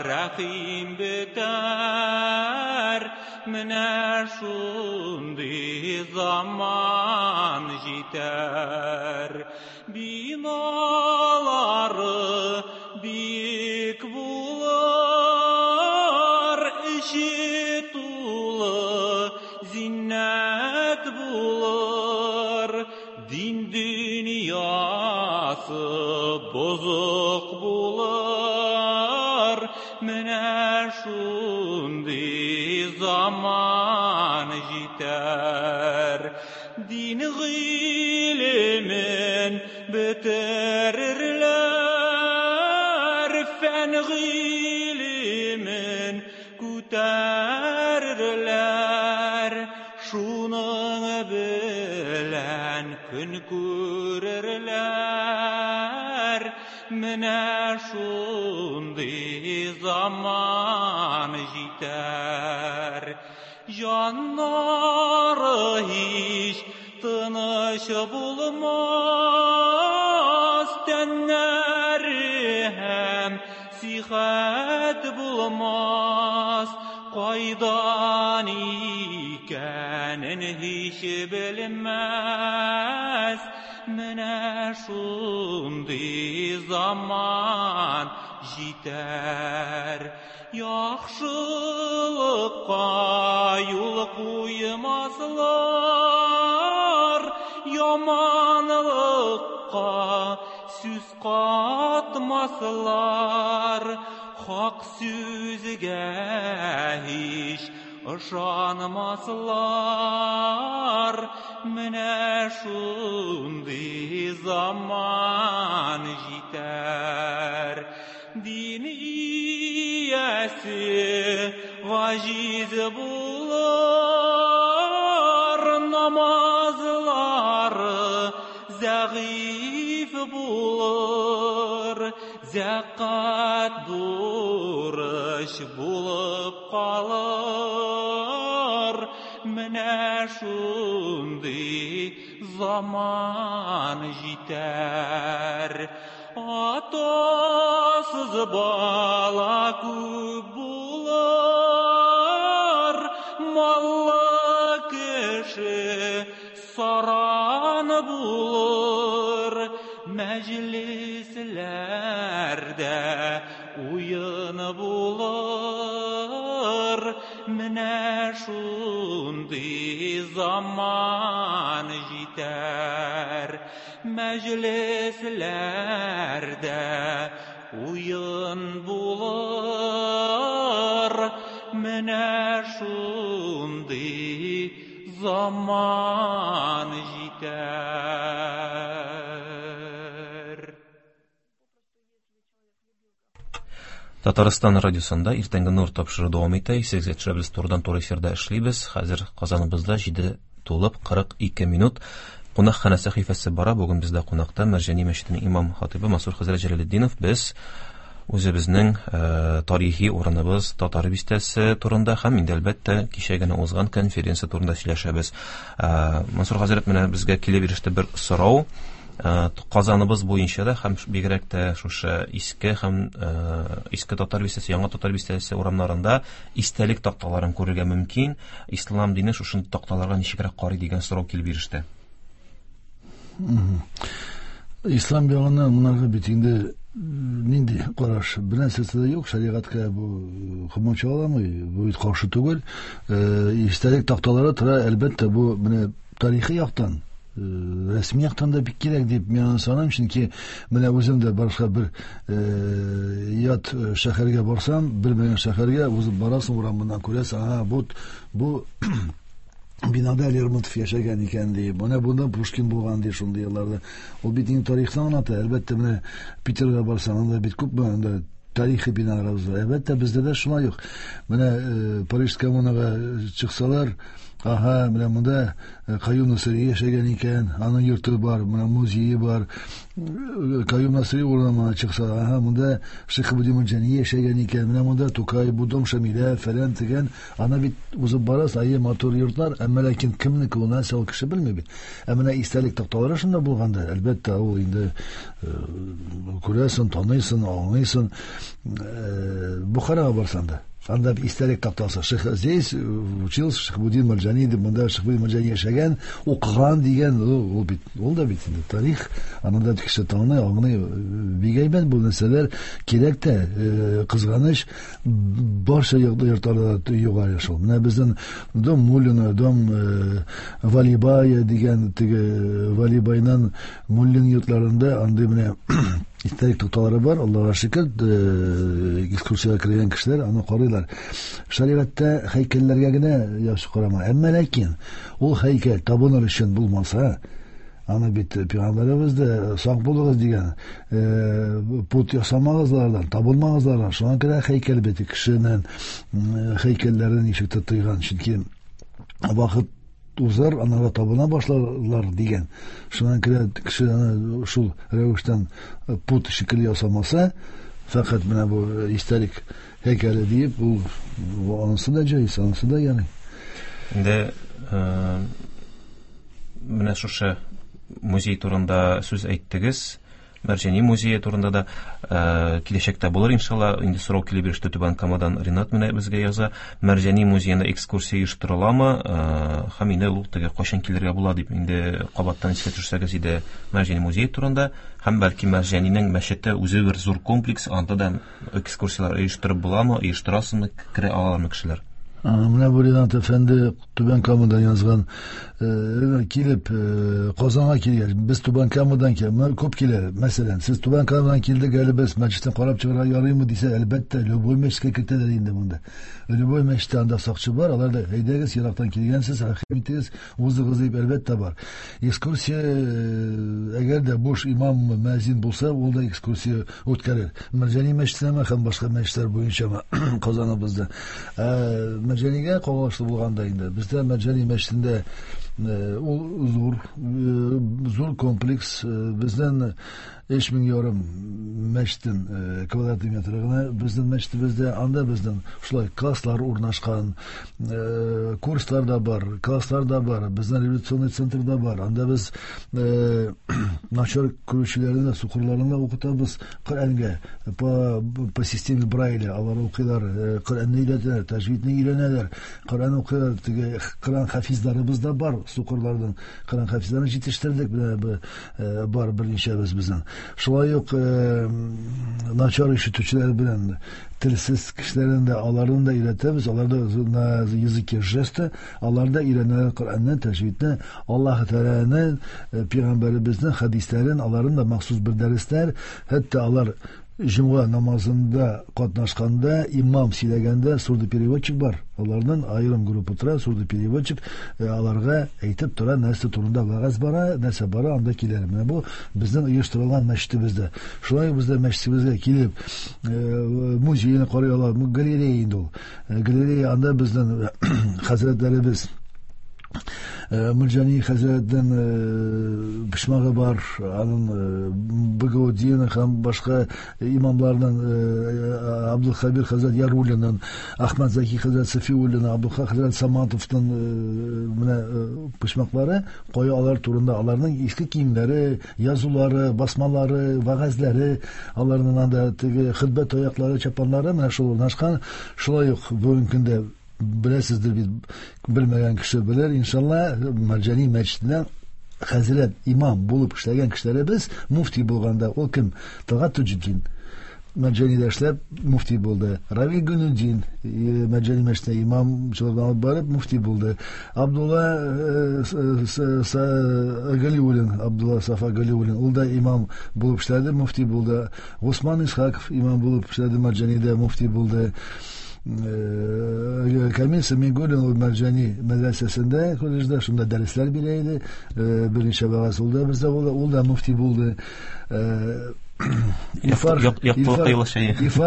рәхим бетәр. Менә шундый заман җитәр. Биналары биек булыр, эче тулы зиннәт булыр, дин дөньясы бозык булыр. Менә шундый заман җитәр. Дин гыйлемен бетерерләр, фән гыйлемен күтәрерләр, шуның белән көн күрерләр. Менә шундый заман җитәр. Җаннары һич тыныч булмас, тәннәре һәм сихәт булмас, кайдан икәнен һич белмәс. Менә шундый заман җитәр. Яхшылыкка юл куймаслар, яманлыкка сүз катмаслар. Хак сүзгә һич ышанмаслар. Менә шундый заман җитәр. Дин иясе гаҗиз булыр, намазлары зәгыйфь булыр, зәкат бурыч булып калыр. Менә шундый заман җитәр. Атасыз бала күп булыр, маллы кеше саран булыр. Мәҗлесләрдә уен булыр. Менә шундый заман җитәр. Мәҗлесләрдә уен булыр. Менә шундый заман җитәр.
Татарстан радиосында иртәнге нур тапшыру дәвам итә. Исегезгә төшерәбез, турыдан-туры эфирда эшлибез. Хәзер Казаныбызда 7 тулып 42 минут. Кунакханә сәхифәсе бара. Бүген бездә кунакта Мәрҗани мәчетенең имам хатибы Мансур хәзрәт Җәләлетдинов. Без үзебезнең тарихи урыныбыз Татар бистәсе турында һәм инде әлбәттә кичә генә узган конференция турында сөйләшәбез. Мансур хәзрәт, менә безгә килеп иреште бер сорау. Казаныбыз буенча да һәм бигрәк тә шушы иске һәм иске Татар бистәсе, яңа Татар бистәсе урамнарында истәлек такталарын күрергә мөмкин. Ислам дине шушы такталарга ничегрәк карый дигән сорау килеп иреште.
Ислам ягыннан монарга бит инде нинди караш, бер нәрсәсе дә юк, шәригатькә бу комачауламый, бу бит каршы түгел. Истәлек такталары тора, әлбәттә, бу менә тарихи яктан, рәсми яктан да бик кирәк дип мин аны саныйм, чөнки менә үзем дә башка бер ят шәһәргә барсам, белмәгән шәһәргә узып барасың, урамыннан күрәсең, ага, бу бинада Лермонтов яшәгән икән ди, менә бунда Пушкин булган ди шундый елларда. Ул бит инде тарихны аңлата. Әлбәттә, менә Питерга барсаң, анда бит күп анда тарихи биналар бар. Әлбәттә, бездә дә шулай ук. Менә Париж коммунага чыксалар, ага, менә монда Каюм Насыйри яшәгән икән, аның йорты бар, менә музее бар. Каюм Насыйри урамына чыкса, ага, монда Шихабуддин Мәрҗани яшәгән икән, менә монда Тукай, бу дом Шамилә, фәлән дигән. Ана бит узып барасың, әйе, матур йортлар, әмма ләкин кемнеке ул, нәрсә ул, кеше белми бит. Ә менә истәлек такталары шунда булганда, әлбәттә, ул инде күрәсең, таныйсың, аңлыйсың. Бухарага барсаң да, анда истәлек тактасы. Шейх здесь учился Шихабуддин Мәрҗани дип, монда Шихабуддин Мәрҗани яшәгән, укыган дигән, ул бит, ул да бит инде тарих, аны да кеше таный, аңлый. Бик әйбәт бу нәрсәләр кирәк тә, кызганыч, барча йортларда юк әле шул. Менә безнең дом Муллина, дом Валибая дигән, теге Валибайның Муллин йортларында андый менә истәлек такталары бар, Аллага шөкер, экскурсиягә кергән кешеләр аны карыйлар. Шәригатьтә һәйкәлләргә генә яхшы карама. Әмма ләкин ул һәйкәл табыныр өчен булмаса, аны бит пәйгамбәребез дә сак булыгыз дигән, пут ясамагыз алардан, табынмагыз алардан. Шуңа күрә һәйкәл бит кешенең һәйкәлләрен ничек тә тыйган, чөнки вакыт узар, анарга табына башларлар дигән. Шуңа күрә кеше аны шул рәвештән пут шикелле ясамаса, фәкать менә бу истәлек һәйкәле диеп, ул анысы да җайсыз, анысы да ярый.
Инде менә шушы музей турында сүз әйттегез. Мәрҗани музее турында да киләчәктә булыр иншалла. Инде сорау килеп иреште Түбән Камадан, Ринат менә безгә яза. Мәрҗани музеенда экскурсия оештырыламы? Һәм инде ул теге кайчан килергә була дип инде кабаттан искә төшерсәгез иде Мәрҗани музее турында. Һәм бәлки Мәрҗанинең мәчете үзе бер зур комплекс, анда да экскурсияләр оештырып буламы, оештырасызмы, керә алалармы кешеләр?
Менә бу Ринат әфәнде Түбән Камадан язган, килеп Казанга килгәч, без Түбән Камадан килеп, күп килә. Мәсәлән, сез Түбән Камадан килдек әле, без мәчеттән карап чыгарга ярыймы дисә, әлбәттә, любой мәчеткә кертәләр инде монда. Любой мәчеттә анда сакчы бар, алар да әйдәгез, ерактан килгәнсез, рәхим итегез, узыгыз дип, әлбәттә бар. Экскурсия, әгәр дә буш имам, мәзин булса, ул да экскурсия үткәрер. Мәрҗани мәчетенәме һәм башка мәчетләр буенчамы Казаныбызда. Мәрҗанигә кагылышлы булганда инде, бездә Мәрҗани мәчетендә ул зур, зур комплекс, бездән 3500 мәчеттән квадрат метр гына безнең мәчетебездә, анда безнең шулай класслар урнашкан, курслар да бар, класслар да бар, безнең революционный центр да бар. Анда без начар күрүчеләрне дә, сукырларны да укытабыз Коръәнгә по системе Брайля. Алар укыйлар, Коръәнне өйрәтәләр, тәҗвидне өйрәнәләр, Коръән укыйлар, теге Коръән хафизларыбыз да бар, сукырлардан Коръән хафизларын җитештердек, менә бар берничәбез безнең. Шулай ук начар ишетүчеләр белән телсез кешеләрне дә, аларны да өйрәтәбез, алар да на языке жеста, алар да өйрәнәләр Коръәнне, тәҗвидне, Аллаһ Тәгаләнең, пәйгамбәребезнең хәдисләрен, аларның да махсус бер дәресләр, хәтта алар җомга намазында катнашканда, имам сөйләгәндә сурдопереводчик бар. Аларның аерым группа тора, сурдопереводчик аларга әйтеп тора, нәрсә турында вәгазь бара, нәрсә бара, анда киләләр. Менә бу безнең оештырылган мәчетебездә. Шулай ук бездә мәчетебезгә килеп, музейны карый ала, галерея инде ул. Галерея, анда безнең хәзрәтләребез Мөрҗани хәзрәтнең почмагы бар, аның Багаудинов һәм башка имамларның, Абдулхабир хәзрәт Яруллинның, Ахмад Заки хәзрәт Сафиуллин, Абдулхак хәзрәт Саматовның менә почмаклары, кая алар турында, аларның иске киемнәре, язулары, басмалары, вәгазьләре, аларның анда теге хөтбә таяклары, чапаннары менә шул урнашкан. Шулай ук бүгенге көндә беләсездер бит, белмәгән кеше белер, иншалла, Мәрҗани мәчетеннән хәзрәт, имам булып эшләгән кешеләребез муфти булганда, ул кем? Талгат Туҗетдин. Мәрҗанидә эшләп муфти булды. Равил Гүнүдин Мәрҗани мәчетенә имамчылык алып барып муфти булды. Абдулла Галиуллин, Абдулла Сафа Галиуллин, ул да имам булып эшләде, муфти булды. Госман Исхаков имам булып эшләде Мәрҗанидә, муфти булды. Камил Самигуллин ул Мәрҗани мәдрәсәсендә, колледжда шунда дәресләр бирә иде. Берничә вәгазь ул да бездә булды, ул да муфти булды. Ифар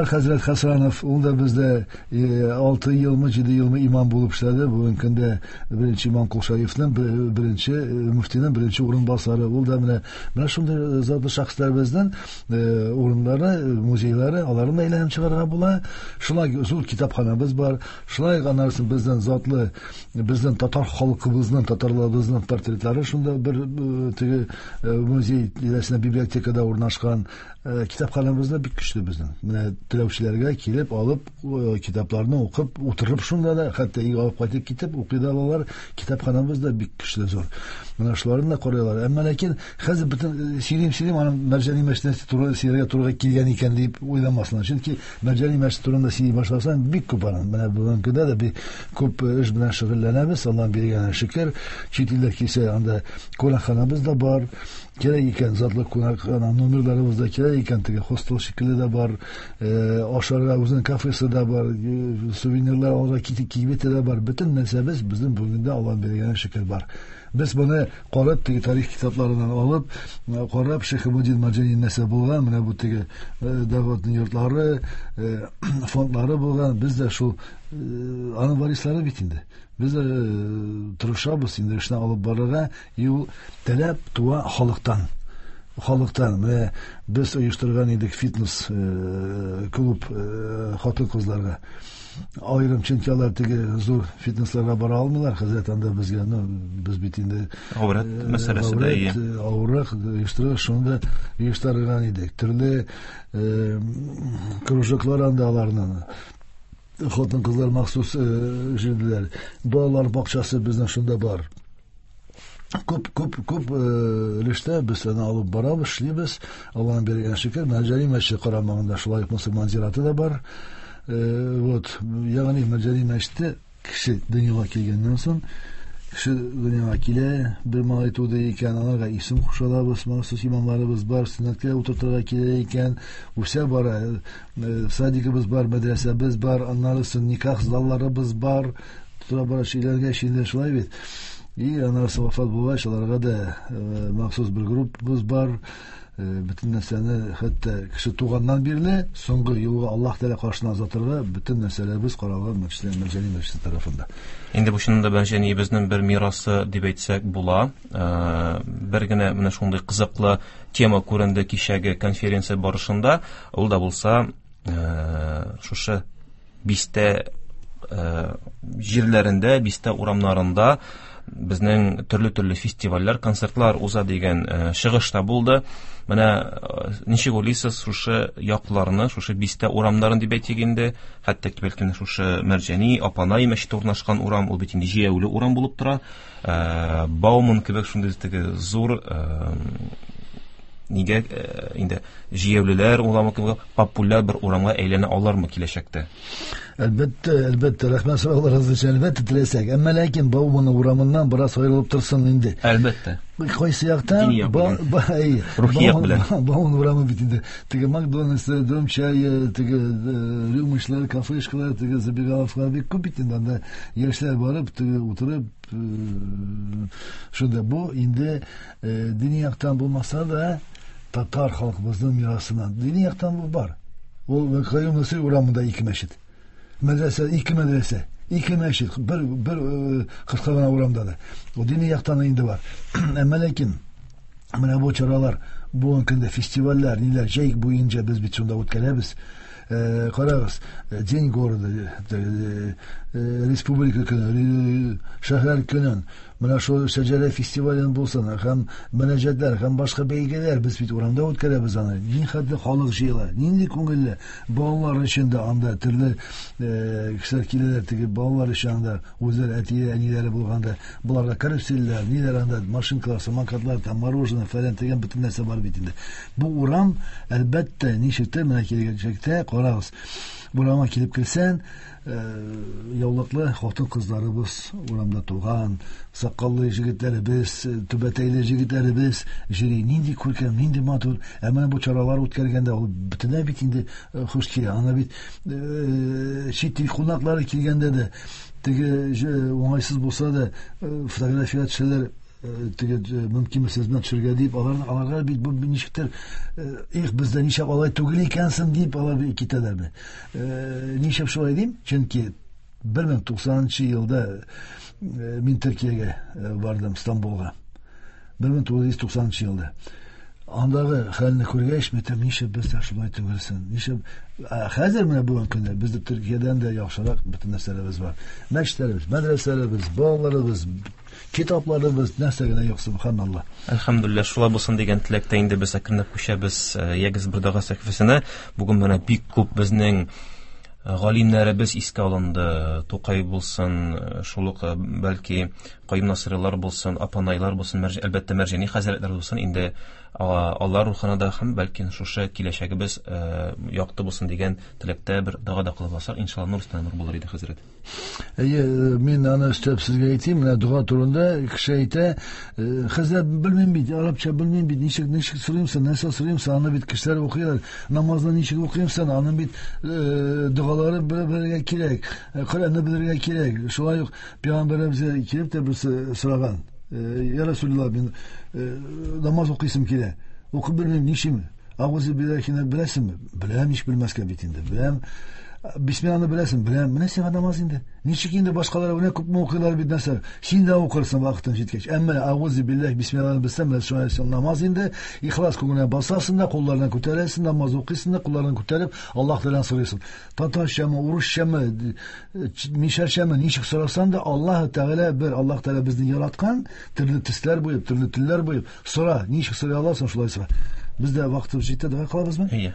хәзрәт Хасанов, ул да бездә 6 елмы, 7 елмы имам булып эшләде. Бүгенге көндә беренче имам Кол Шәрифнең беренче муфтинең беренче урынбасары. Ул да менә шундый затлы шәхесләр безнең урыннары, музейлары, аларны да әйләнеп чыгарга була. Шулай зур китапханабыз бар. Шулай аннан соң безнең затлы, безнең татар халкыбызның, татарларыбызның портретлары шунда бер теге музей тирәсендә библиотекада урнашкан. Китапханабыз да бик көчле безнең. Менә теләүчеләргә килеп алып, китапларны укып, утырып шунда да, хәтта өйгә алып кайтып китеп укый да алалар. Китапханабыз да бик көчле, зур. Менә шуларны да карыйлар. Әмма ләкин хәзер бөтен сөйлим, сөйлим, аның Мәрҗани мәчетенә туры сөйләргә туры килгән икән дип уйламаслар. Чөнки Мәрҗани мәчете турында сөйли башласаң, бик күп аның. Менә бүгенге көндә дә бик күп эш белән шөгыльләнәбез. Аллаһ биргән шөкер. Чит илләр килсә, анда кунакханабыз да бар. Кирәк икән затлы кунакхана номерларыбыз да кирәк икән, теге хостел шикелле дә бар, ашарга үзенең кафесы да бар, сувенирлар алырга кибете дә бар. Бөтен нәрсәбез безнең бүгенге Аллаһ биргән шөкер бар. Без моны карап, теге тарих китапларыннан алып, карап, Шәйхетдин Мәрҗани нәрсә булган, менә бу теге дәүләтнең йортлары, фондлары булган, без дә шул аның варислары бит инде. Без дә тырышабыз инде эшне алып барырга, и ул таләп туа халыктан. Халыктан. Менә без оештырган идек фитнес клуб хатын-кызларга. Аерым, чөнки алар теге зур фитнесларга бара алмыйлар, хәзрәт анда безгә, ну, без бит инде
Авырат мәсьәләсе дә ие.
Авырак оештырып, шуны да оештырган идек. Төрле кружоклар анда аларның. Хатын-кызлар махсус җирделәр. Балалар бакчасы безнең шунда бар. Күп, күп, күп өлештә без аны алып барабыз, эшлибез. Аллаһның биргән шөкер, Мәрҗани мәчете карамагында шулай ук мөселман зираты да бар. Вот, ягъни Мәрҗани мәчете Кеше дөньяга килгәннән соң, кеше дөньяга килә, бер малай туды икән, аларга исем кушалабыз, махсус имамларыбыз бар, сөннәткә утыртырга килә икән, үсә бара, садигыбыз бар, мәдрәсәбез бар, аннары соң никах залларыбыз бар, тора бара өйләнгәч инде шулай бит. И аннары соң вафат булгач, аларга да махсус бер группабыз бар. Бөтен нәрсәне, хәтта кеше туганнан бирле соңгы юлга Аллаһ Тәгалә каршына озатырга бөтен нәрсәләребез каралган Мәрҗани мәчете тарафында.
Инде бу чынында Мәрҗаниебезнең бер мирасы дип әйтсәк була. Бер генә менә шундый кызыклы тема күренде кичәге конференция барышында. Ул да булса, шушы бистә җирләрендә, бистә урамнарында безнең төрле-төрле фестивальләр, концертлар уза дигән чыгыш та булды. Менә ничек уйлыйсыз, шушы якларны, шушы бистә урамнарын дип әйтик инде, хәтта бәлки шушы Мәрҗани, Апанай мәчете урнашкан урам, ул бит инде җәяүле урам булып тора. Бауман кебек шундый теге зур нигә инде җәяүлеләр урамы кебек популяр бер урамга әйләнә алармы киләчәктә?
Әлбәттә, әлбәттә, рәхмәт сорауларыгыз өчен, әлбәттә теләсәк. Әмма ләкин Бауман урамыннан бераз аерылып торсын инде.
Әлбәттә.
Кайсы яктан?
Рухи як белән.
Бауман урамы бит инде. Теге Макдональдс, Дом чая, теге рюмочлар, кафешкалар, теге забегаловкалар бик күп бит инде. Анда яшьләр барып, теге утырып, шунда бу инде дини яктан булмаса да татар халкыбызның мирасынан. Дини яктан бу бар. Ул Каюм Насыйри урамында ике мәчет. Мәдрәсә, ике мәдрәсә, ике мәчет, бер кыска гына урамда да. Ул дини яктан инде бар. Әмма ләкин менә бу чаралар, бүгенге көндә фестивальләр, ниләр җәй буенча без бит шунда үткәрәбез. Карагыз, День города, Республика көне, шәһәр көнен, менә шул Шәҗәрә фестивален булсын, һәм мөнәҗәтләр, һәм башка бәйгеләр без бит урамда үткәрәбез аны. Ни хәтле халык җыела, нинди күңелле. Балалар өчен дә анда төрле кешеләр киләләр, теге балалар өчен анда үзләре әти әниләре булганда, боларга карусельләр, ниләр анда, машинкалар, самокатлар, там мороженое, фәлән дигән бөтен нәрсә бар бит инде. Бу урам, әлбәттә, ничектер менә киләчәктә, карагыз, бу урамга килеп керсәң, яулыклы хатын-кызларыбыз урамда туган, сакаллы җегетләребез, түбәтәйле җегетләребез җыри. Нинди күркәм, нинди матур. Ә менә бу чаралар үткәргәндә ул бөтенләй бит инде хуш килә. Ана бит чит ил кунаклары килгәндә дә теге уңайсыз булса да фотография төшәләр, теге мөмкинме сез белән төшергә дип, аларга бит бу ничектер, их, бездә ничек алай түгел икәнсең дип алар бит китәләр бит. Ничек шулай дим? Чөнки 1090 елда мин Төркиягә бардым, Стамбулга. 1990 елда. Андагы хәлне күргәч, мен әйтәм, ничек бездә шулай түгелсен? Ничек? Хәзер менә бүгенге көндә бездә Төркиядән дә яхшырак бөтен нәрсәләребез бар. Мәчетләребез, мәдрәсәләребез, балаларыбыз, китапларыбыз, нәрсә генә юк, субханаллаһ.
Әлхәмдүлилләһ, шулай булсын дигән теләктә инде без әкренләп күчәбез Ягез бер дога сәхифәсенә. Бүген менә бик күп безнең галимнәребез искә алынды. Тукай булсын, шул ук бәлки Каюм Насыйрилар булсын, Апанайлар булсын, әлбәттә Мәрҗани хәзрәтләр булсын. Инде алар рухына да һәм бәлки шушы киләчәгебез якты булсын дигән теләктә бер дога да кылып алсак, иншалла нур өстенә нур булыр иде, хәзрәт.
Әйе, мин аны өстәп сезгә әйтим, менә дога турында кеше әйтә, хәзрәт, белмим бит, арабча белмим бит, ничек сорыйм соң, нәрсә сорыйм соң, аны бит кешеләр укыйлар, намазны ничек укыйм соң, аның бит догалары белергә кирәк, Коръәнне белергә кирәк. Шулай ук пәйгамбәребез килеп тә берсе сораган, Я Расулуллаһ, мин намаз укыйсым килә, укып белмим, ничем? Агузы биллахины беләсеңме? Беләм, ничек белмәскә бит инде, беләм. Бисмилланы беләсең, беләм. Менә сиңа намаз инде. Ничек инде башкалар менә күпме укыйлар бит нәрсә. Син дә укырсың вакытың җиткәч. Әмма агузы биллах бисмилланы белсәң, менә шулай син намаз инде. Ихлас күңелеңә басасың да, кулларыңны күтәрәсең, намаз укыйсың да, кулларыңны күтәреп Аллаһ Тәгаләдән сорыйсың. Татарчамы, урысчамы, мишәрчәме, ничек сорасаң да, Аллаһ Тәгалә бер, Аллаһ Тәгалә безне яраткан, төрле төсләр буеп, төрле телләр буеп, сора, ничек сорый аласың, шулай сора. Без дә вакытыбыз җитте, дога кылабызмы?
Әйе.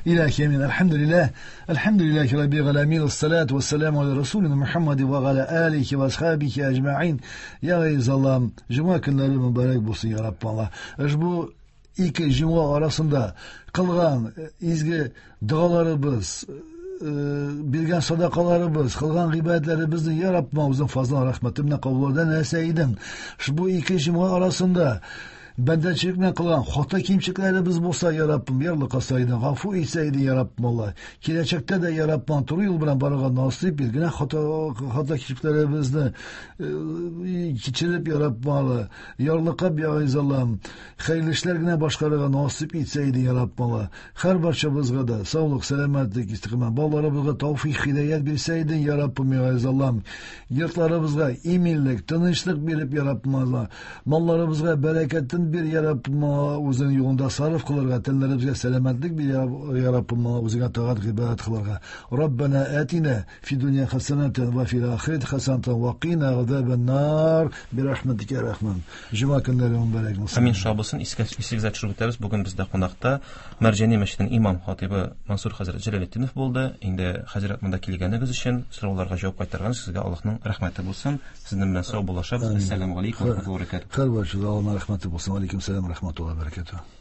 Илаһи амин. Әлхәмдүлилләһ. Әлхәмдүлилләһи раббил галәмин. Ассалату вассаламу аля расулина Мухаммади ва аля алихи ва асхабихи аҗмаин. Я газиз Аллаһым, җомга көннәре мөбарәк булсын, я Рабб Аллаһ. Ошбу ике җомга арасында кылган изге догаларыбыз, Биргән садакаларыбыз, кылган гыйбадәтләребезне, я Раббым, үзең фазлың, рәхмәтең белән кабул нәрсә идең. Ушбу ике җомга арасында бәндәчелек белән кылган хата кимчелекләребез булса, я Раббым, ярлыкаса идең, гафу итсә идең, я Раббым, Алла. Киләчәктә дә, я Раббым, туры юл белән барырга насыйп ит. Генә хата кимчелекләребезне кичереп, я Раббым, Алла, ярлыкап, я Газиз Аллам, хәерле эшләр генә башкарырга насыйп итсә идең, я Раббым, Алла. Һәр барчабызга да саулык, сәламәтлек, истиқамәт, балаларыбызга тәүфыйк, һидаят бирсә идең, я Раббым, я Газиз Аллам. Йортларыбызга иминлек, тынычлык биреп, я Раббым, Алла. Малларыбызга бәрәкәтен бир, я Раббым, Алла, үзең юлында сарыф кылырга, тәннәребезгә сәламәтлек бир, я Раббым, Алла, үзеңә тагать, гыйбадәт кылырга. Раббана атина фи дөнья хасанатан ва фил ахирати хасанатан ва кина азабан нар би рахматика я Рахман. Җомга көннәре мөбарәк булсын.
Амин, шулай булсын. Исегезгә төшереп үтәбез. Бүген бездә кунакта Мәрҗани мәчетенең имам хатибы Мансур хәзрәт Җәләлетдинов булды. Инде хәзрәт, монда килгәнегез өчен, сорауларга җавап кайтарган сезгә Аллаһның рәхмәте булсын. Сезнең белән сау булашабыз. Әссәламу алейкум ва рахматуллаһи ва баракатуһ.
Һәр барчага Аллаһның рәхмәте булсын. Алейкум сәлам рәхмәтуллаһи ва баракатуһ.